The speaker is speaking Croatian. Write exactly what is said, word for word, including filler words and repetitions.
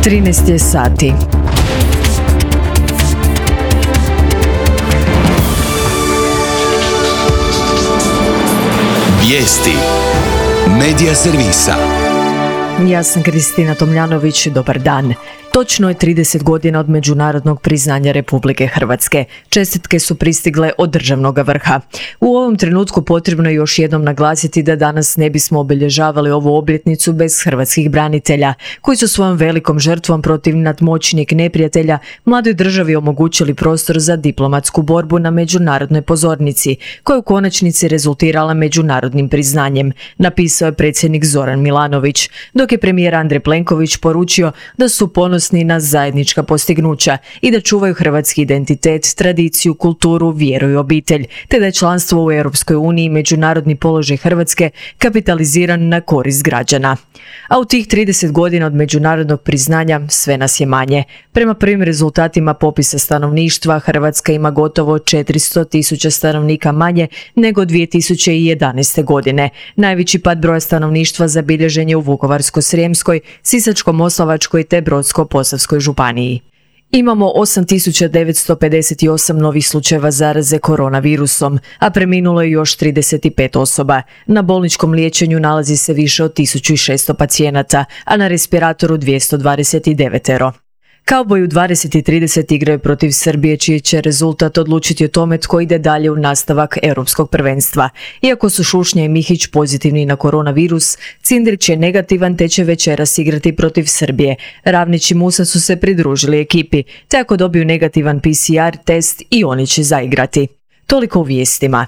trinaest je sati. Vijesti Medija servisa. Ja sam Kristina Tomljanović, dobar dan. Točno je trideset godina od međunarodnog priznanja Republike Hrvatske. Čestitke su pristigle od državnog vrha. U ovom trenutku potrebno je još jednom naglasiti da danas ne bismo obilježavali ovu obljetnicu bez hrvatskih branitelja, koji su svojom velikom žrtvom protiv nadmoćnijeg neprijatelja mladoj državi omogućili prostor za diplomatsku borbu na međunarodnoj pozornici, koja je u konačnici rezultirala međunarodnim priznanjem, napisao je predsjednik Zoran Milanović, dok je premijer Andrej Plenković poručio da su ponosni na zajednička postignuća i da čuvaju hrvatski identitet, tradiciju, kulturu, vjeru i obitelj, te da je članstvo u Europskoj uniji i međunarodni položaj Hrvatske kapitaliziran na korist građana. A u tih trideset godina od međunarodnog priznanja sve nas je manje. Prema prvim rezultatima popisa stanovništva, Hrvatska ima gotovo četiristo tisuća stanovnika manje nego dvije tisuće jedanaeste. godine. Najveći pad broja stanovništva zabilježen je u Vukovarsko-srijemskoj, Sisačko-moslavačkoj te Brodsko-posavskoj županiji. Imamo osam tisuća devetsto pedeset osam novih slučajeva zaraze koronavirusom, a preminulo je još trideset pet osoba. Na bolničkom liječenju nalazi se više od tisuću šesto pacijenata, a na respiratoru dvjesto dvadeset devet. Kauboji u dvadeset i trideset igraju protiv Srbije, čiji će rezultat odlučiti o tome tko ide dalje u nastavak europskog prvenstva. Iako su Šušnja i Mihić pozitivni na koronavirus, Cindrić je negativan te će večeras igrati protiv Srbije. Ravnić i Musa su se pridružili ekipi, te ako dobiju negativan P C R test i oni će zaigrati. Toliko u vijestima.